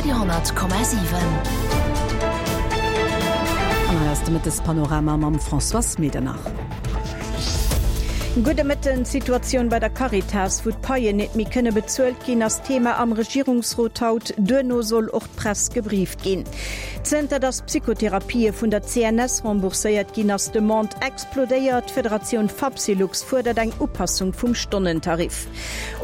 Radio 10,7. An hei ass de Mëttespanorama mam Françoise Medernach. Gudde Mëtten. D'Situatioun bei der Caritas, wou d'Paien net méi kënne bezuelt ginn, ass Thema am Regierungsrot haut. Duerno soll och d'Press gebrieft ginn. Zënter datt Psychotherapië vun der CNS rembourséiert ginn, ass d'Demande explodéiert. D'Federatioun Fapsylux fuerdert eng Upassung vum Stonnentarif.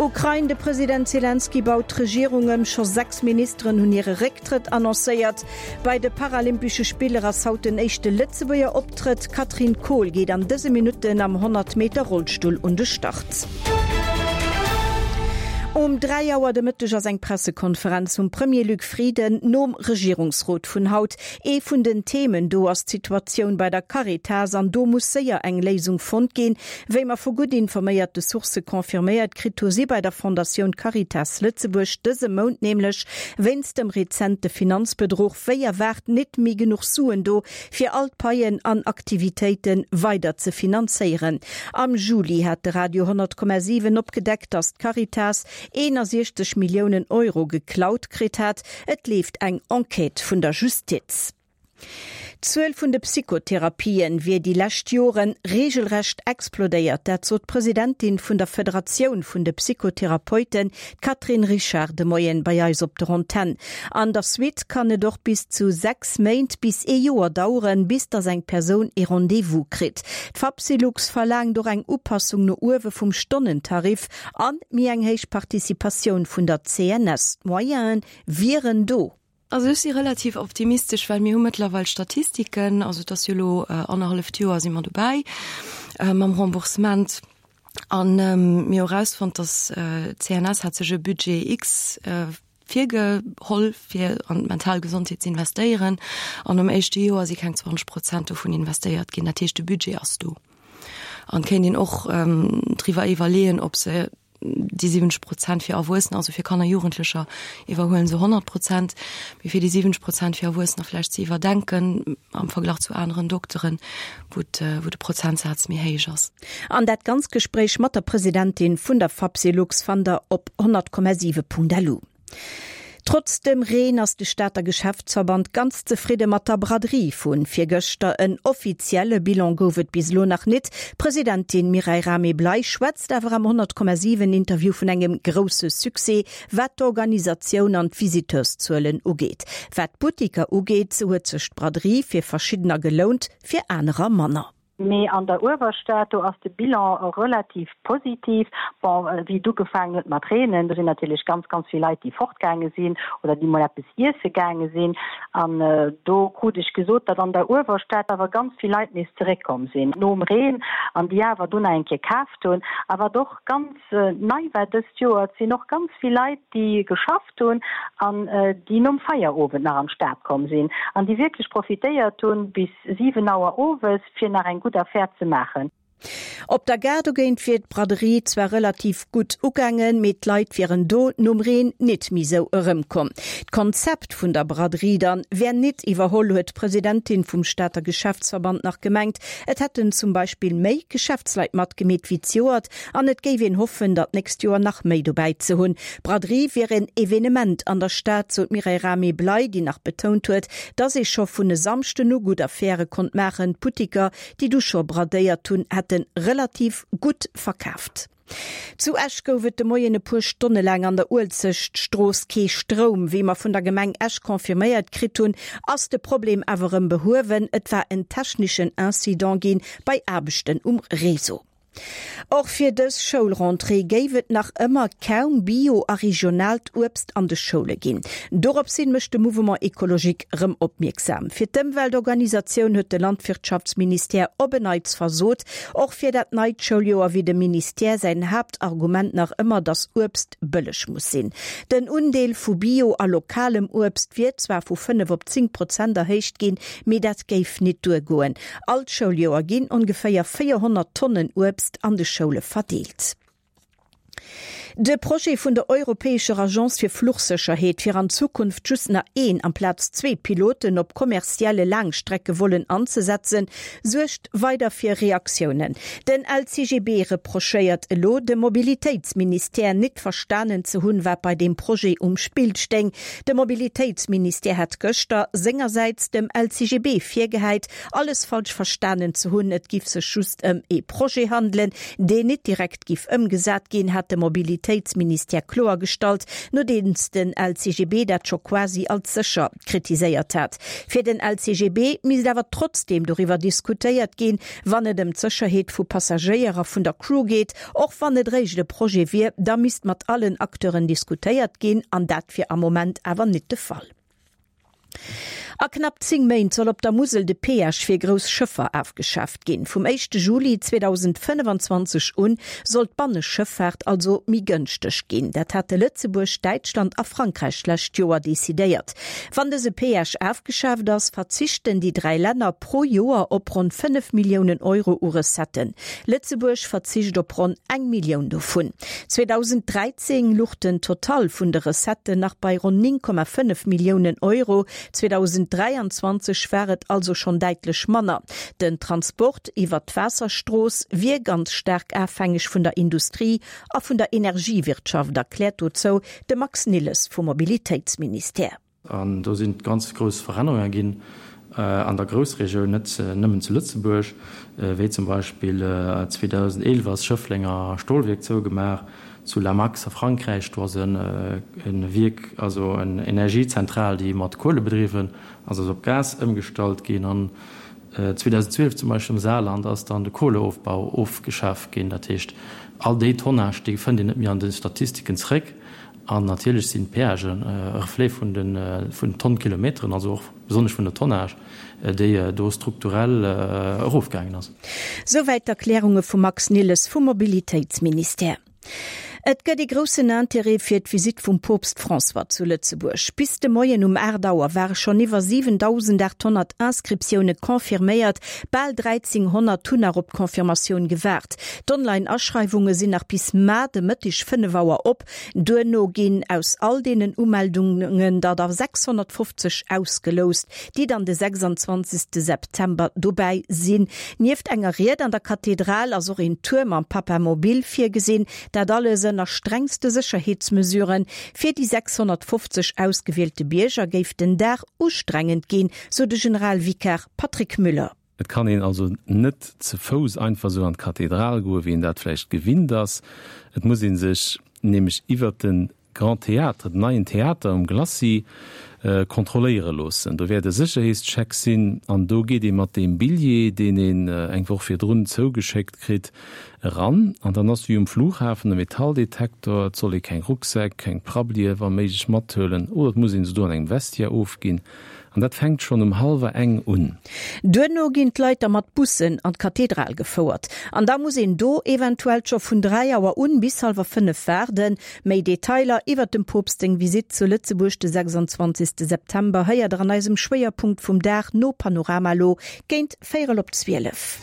Ukrain, De President Selenskyj baut d'Regierung ëm, scho 6 Ministeren hunn hire Récktrëtt annoncéiert. Bei de Paralympesche Spiller ass haut den éischte Lëtzebuerger Optrëtt. D'Katrin Kohl geet an dëse Minutten am 100 Meter Rollstull un de Start. Um 3 Auer de Mëtteg ass eng Pressekonferenz vum Premier Luc Frieden nom Regierungsrot vun haut. Ee vun den Themen do ass d'Situatioun bei der Caritas an do muss séier eng Léisung fonnt ginn. Wéi mer vu gutt informéierte Sourcë confirméiert kritt hu si bei der Fondatioun Caritas Lëtzebuerg dëse Mount nämlech wéinst dem rezente Finanzbedruch wéi erwaart nit méi genuch Suen do, fir all d'Paien an Aktivitéite weider ze finanzéieren. Am Juli hat de Radio 100,7 opgedeckt, datt d'Caritas 61 Milliounen Euro geklaut kritt hat. Et leeft eng Enquête vun der Justiz. D'Zuel vun de Psychotherapien wier déi lescht Joren reegelrecht explodéiert. Dat sot d'Presidentin vun der Federatioun vun de Psychotherapeuten, d'Catherine Richard, de Moien bei eis op der Antenn. An der Suite kann et och bis zu 6 Méint bis ee Joer daueren, bis datt eng Persoun ee Rendez-vous kritt. D'Fapsylux verlaangt och eng Upassung no uewe vum Stonnentarif an méi eng héich Participatioun vun der CNS. D'Moyene wieren do. Also ech si relativ optimistesch, well mir hu mëttlerweil Statistiken, also et ass jo elo annerhalleft Joer si mer dobäi mam Remboursement an mir hu erausfonnt, datt d'CNS hat sech e Budget X virgeholl fir an d'mental Gesondheet ze investéieren an am éischte Joer si keng 20 Prozent dovun investéiert ginn. Dat heescht de Budget ass do an et kéint een och driwwer iwwerleeën, ob se déi 70 Prozent fir Erwuessener, also fir Kanner, Jugendlecher iwwerhuelen se 100 Prozent, mee fir déi 70 Prozent fir Erwuessener vläicht ze iwwerdenken am Verglach zu aneren Dokteren, wou wou de Prozentsaz méi héich ass. An dat ganz Gespréich mat der Presidentin vun der Fapsylux fannt der op 100,7.lu. Trotz dem Reen ass de Stater Geschäftsverband ganz zefridde mat der Braderie vu virgëschter. En offizielle Bilan gouf et bis elo nach nit. D'Presidentin Mireille Rahmé-Bley schwätzt awer am 100,7 Interview vun engem grousse Succès, wat d'Organisatioun an d'Visiteurszuelen ugeet. Wat d'Buttiker ugeet, sou huet sech d'Braderie fir verschiddener gelount, fir anerer manner. Mee an der Uewerstad, do ass de Bilan relativ positiv. Bon, wéi et ugefaangen huet mat reenen, do sinn natierlech ganz, ganz vill Leit, déi fortgaange sinn oder déi mol eppes iesse gaange sinn. An do krut ech gesot, datt an der Uewerstad awer ganz vill Leit nees zeréckkomm sinn nom Reen an déi awer do nach eng Kéier kaaft hunn. A wat och ganz nei war dëst Joer, et sinn och ganz vill Leit, déi geschafft hunn an déi nom Feierowend nach an d'Stad komm sinn an déi wierklech profitéiert hunn bis 7 Auer owes, fir nach eng gutt Affär ze maachen. Op der Gare dogéint wier d'Braderie zwar relativ gutt ugaangen, mee d'Leit wieren do nom Reen nit méi sou erëmkomm. D'Konzept vun der Braderie dann wär nit iwwerholl, huet d'Presidentin vum Stater Geschäftsverband nach gemengt. Et hätten zum Beispill méi Geschäftsleit matgemeet wéi zejoert an et géif een hoffen, der d'nächst Joer nach méi dobäi ze hunn. D'Braderie wier en Evenement an der Stad, sou d'Mireille Rahmé-Bley, déi nach betount huet, Dass ee scho vun e Samschden u gutt Affäre konnt maachen, d'Buttiker, déi du scho bradéiert hunn, hätte relativ gutt verkaaft. Zu Esch gouf et de Moien e puer Stonne laang an der Uelzechtstrooss kee Stroum. Wéi mer vun der Gemeng Esch confirméiert kritt hunn, ass de Problem awer erëm behuewen. Et war en techneschen Incident gi bei Aarbechten um Réseau. Och fir dës Schoulrentrée géif et nach ëmmer kaum Bio a regionaalt Uebst an de Schoule ginn. Dorops hin mécht de Mouvement Ecologique rëm opmierksam. Fir d'Ëmweltorganisatioun huet de Landwirtschaftsministère op en Neits versot. Och fir dat neit Schouljoer wier dem Ministère säin Haaptargument nach ëmmer, datt Uebst bëlleg muss sinn. Den Undeel vu Bio a lokalem Uebst wier zwar vu 5 op 10 Prozent erhéicht ginn, mee dat géif nit duergoen. All Schouljoer ginn ongeféier 400 Tonnen Uebst an de Schoule verdeelt. De Projet vun der europäescher Agence fir Fluchsécherheet, fir an Zukunft just nach een amplaz zwee Piloten op kommerzielle Laangstreckevollen anzesetzen, suergt weider fir Reaktiounen. Den LCGB reprochéiert elo dem Mobilitéitsministère, nit verstanen ze hunn, wat bei deem Projet um Spill stéing. De Mobilitéitsministère hätt gëschter sengersäits dem LCGB virgehäit, alles falsch verstanen ze hunn. Et giff sech just ëm ee Projet handelen, deen nit direkt giff ëmgesat ginn, hat de Mobilitéitsministère kloergestallt, nodeems den LCGB dat scho quasi als sécher kritiséiert hat. Fir den LCGB misst awer trotzdeem doriwwer diskutéiert ginn, wann et ëm d'Sécherheet vu Passagéier a vun der Crew geet. Och wann et réischt e Projet wier, da misst mat allen Acteuren diskutéiert ginn an dat wier am Moment awer nit de Fall. A knapp 10 Méint soll op der Musel de Peage fir grouss Schëffer afgeschaaft ginn. Vum éischte Juli 2025 un soll d'Banneschëffaart also méi gënschteg ginn. Dat hate Lëtzebuerg, Däitschland a Frankräich d'lescht Joer decidéiert. Wann dëse Peage afgeschaaft ass, verzichten déi 3 Länner pro Joer op ronn 5 Milliounen Euro u Recetten. Lëtzebuerg verzicht op ronn eng Millioun dovun. 2013 luch den Total vun de Recetten nach bei ronn 9,5 Milliounen Euro, 2023 war et also schonn däitlech manner. Den Transport iwwert d'Waasserstrooss wier ganz staark afhängeg vun der Industrie a vun der Energiewirtschaft, erkläert dozou de Max Nilles vum Mobilitéitsministère. An do sinn ganz grouss Verännerunge ginn an der Groussregioun, net nëmmen zu Lëtzebuerg, wéi zum Beispill 2011 ass Schëfflenger Stolwierk zougemaach, zu La Max a Frankräich, do ass e Wierk, also eng Energiezentral, déi mat Kuele bedriwwen ass, ass op Gas ëmgestallt ginn. An 2012 zum Beispill am Saarland ass dann de Kohleofbau ofgeschaf ginn. Dat heescht, all déi Tonnage, déi fënnt een net méi an de Statistiken zréck. An natierlech sinn d'Péagen e Reflet vun den Tonnkilometeren, also och besonnesch vun der Tonnage, déi do strukturell erofgaangen ass. Souwäit d'Erklärunge vum Max Nilles vum Mobilitéitsministère. Et gëtt ee groussen Interêt fir d'Visitt vum Poopst François zu Lëtzebuerg. Bis de Moien um 8 Auer ware schonn iwwer 7.800 Inscriptioune confirméiert, bal 1.300 hunn nach op d'Confirmatioun gewaart. D'Online-Aschreiwunge sinn nach bis mar de Mëtteg 5 Auer op. Duerno ginn aus all deenen Umeldungen der der 650 ausgeloust, déi dann de 26 September dobäi sinn. Nieft enger Ried an der Kathedral ass och een Tour mam Papamobil virgesinn. Dat alles ënner strengste Sécherheetsmesuren. Fir déi 650 ausgewielte Bierger géif den Dag ustrengend ginn, sou de Generalvikar Patrick Müller. Et kann een also net ze Fouss einfach esou an d'Kathedral goen, wéi een dat vläicht gewinnt ass. Et muss ee sech nämlech iwwert de Grand Théâtre, den neien Theater um Glacis, kontrolléiere loossen. Do wäert e Sécherheetscheck sinn an do geet ee mat deem Billjee, deen een eng Woch virdrun zougeschéckt kritt, eran. An dann ass wéi um Flughafen e Metalldetektor. Et soll ee keng Rucksäck, keng Prabblie wa méiglech mathuelen oder et muss ee se do an engem Vestiaire ofginn. An dat fänkt schonn um hallwer eng un. Duerno ginn d'Leit da mat Bussen an d'Kathedral gefouert. An da muss een do eventuell scho vun 3 Auer un bis hallwer 5 waarden. Méi Detailer iwwert dem Poopst seng Visitt zu Lëtzebuerg de 26 September héiert der an eisem Schwéierpunkt vum Dag no Panorama lo géint véierel op 12.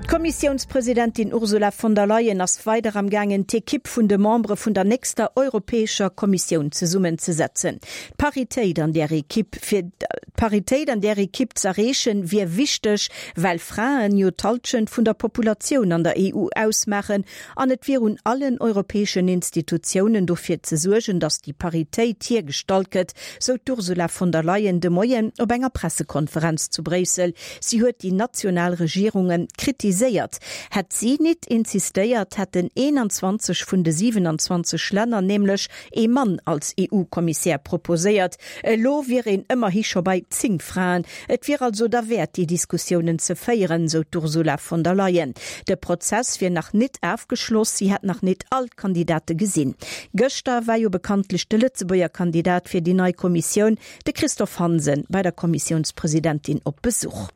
D'Kommissiounspresidentin Ursula von der Leyen ass weider am gaangen d'Ekipp vun de Membere vun der nächster europäescher Kommissioun zesummenzesetzen. D'Paritéit an där Ekipp fir d'Paritéit an där Ekipp z'erreechen, wier wichteg, well Fraen jo d'Hallschent vun der Populatioun an der EU ausmaachen an et wier un allen europäeschen Institutiounen dofir ze suergen, datt déi Paritéit hiergestallt gëtt, sou d'Ursula von der Leyen de Moien op enger Pressekonferenz zu Bréissel. Si huet déi national Regierunge kritiséiert. Hätt si nit insistéiert, hätten 21 vun de 27 Länner nämlech ee Mann als EU-Kommissär proposéiert. Elo wier een ëmmerhi scho bei 10 Fraen. Et wier also derwäert, déi Diskussiounen ze féieren, sou d'Ursula von der Leyen. De Prozess wier nach nit afgeschloss, si hätt nach nit all d'Kandidate gesinn. Gëschter war jo bekanntlech de Lëtzebuerger Kandidat fir déi nei Kommissioun, de Christophe Hansen, bei der Kommissiounspresidentin op Besuch.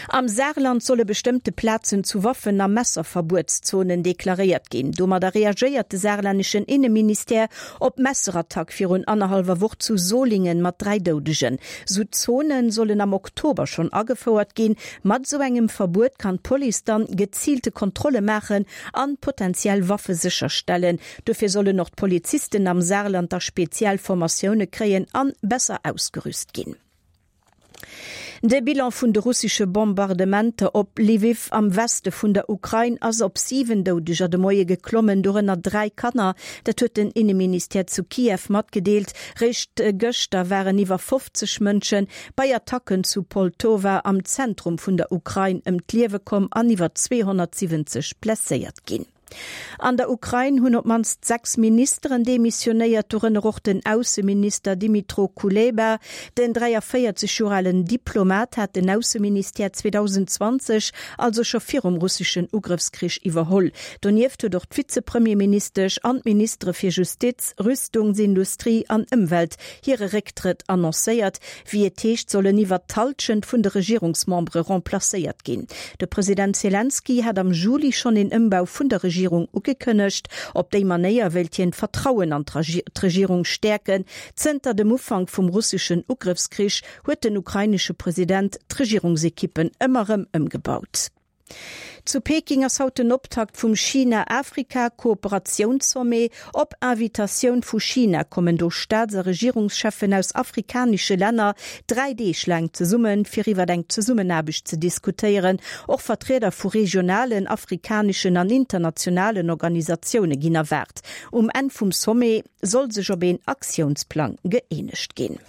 Am Saarland solle bestëmmte Plazen zu Waffen a Messerverbuetszonen deklaréiert ginn. Domadder reagéiert de saarlänneschen Inneministère op d'Messerattack virun annerhallwer Woch zu Solingen mat 3 Doudegen. Sou Zone sollen am Oktober schonn agefouert ginn. Mat sou engem Verbuet kann d'Police dann geziilte Kontrolle maachen an potenziell Waffe sécherstellen. Dofir sollen och d'Polizisten am Saarland da speziell Formatioune kréien an besser ausgerüst ginn. De Bilan vun de russesche Bombardementer op Lwiw am Weste vun der Ukrain ass op 7 Doudeger de Moie geklommen, dorënner 3 Kanner. Dat huet den Inneministère zu Kiew matgedeelt. Réischt gëschter waren iwwer 50 Mënsche bei Attacken zu Poltowa am Zentrum vun der Ukrain ëm d'Liewe komm an iwwer 270 blesséiert ginn. An der Ukrain hunn op d'mannst 6 Ministeren demissionéiert, dorënner och den Ausseminister Dmytro Kuleba. Den 43 Joer alen Diplomat hat den Ausseministère 2020, also scho virum russeschen Ugrëffskrich, iwwerholl. Donieft huet och d'Vizepremierministesch an d'Ministere fir Justiz, Rüstungsindustrie an Ëmwelt hire Récktrëtt annoncéiert. Wéi et heescht, sollen iwwert d'Hallschent vun de Regierungsmembere remplacéiert ginn. De President Selenskyj hat am Juli schonn een Ëmbau vun der Regierung ugekënnegt. Op déi Manéier wéilt hien d'Vertrauen an d'Regierung stäerken. Zënter dem Ufank vum russeschen Ugrëffskrich huet den ukrainesche President d'Regierungsekippen ëmmer erëm ëmgebaut. Zu Peking ass haut den Optakt vum China-Afrika-Kooperatiounssommet. Op Invitatioun vu China kommen do Staats a Regierungscheffen aus afrikanesche Länner 3 Deeg laang zesummen, fir iwwer eng Zesummenaarbecht ze diskutéieren. Och Vertrieder vu regionalen, afrikaneschen an internationalen Organisatioune ginn erwaart. Um Enn vum Sommet soll sech op een Aktiounsplang gëeenegt ginn.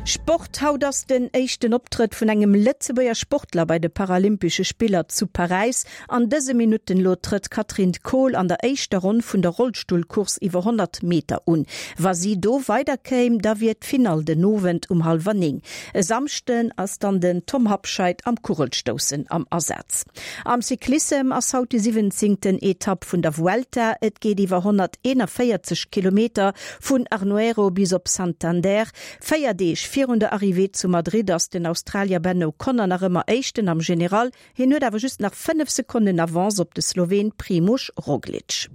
Sport, Haut ass den éischten Optrëtt vun engem Lëtzebuerger Sportler bei de Paralympesche Spiller zu Paräis. An dëse Minutten elo trëtt d'Catherine Kohl an der éischter Ronn vun der Rollstullcourse iwwer 100 Meter un. Wa si do weider kéim, da wier d'Finall den Owend um hallwer 9. E Samschden ass dann den Tom Habscheid am Kugelstoussen am Asaz. Am Cyclissem ass haut déi siwwenzéngten Etapp vun der Vuelta. Et geet iwwer 141 Kilometer vun Arnuero bis op Santander. 4 Deeg virun der Arrivée zu Madrid ass den Australier Ben O'Connor nach ëmmer Éischten am General. Hien huet awer just nach 5 Sekonnen Avance op de Sloween Primož Roglič.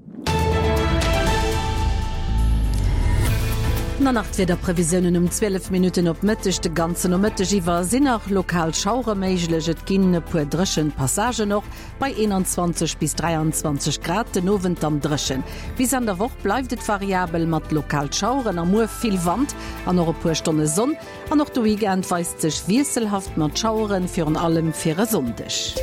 An nach d'Wiederprevisiounen um 12 Minutten op Mëtteg. De ganzen Nomëtteg iwwer sinn nach lokal Schauere méiglech. Et ginn e puer dréchen Passagen och bei 21 bis 23 Grad. Den Owend dann dréchen. Bis Enn der Woch bleift et variabel mat lokal Schaueren a muer vill Wand an och e puer Stonne Sonn. An och de Weekend weist sech wiesselhaft mat Schaueren, virun allem fir e Sonndeg.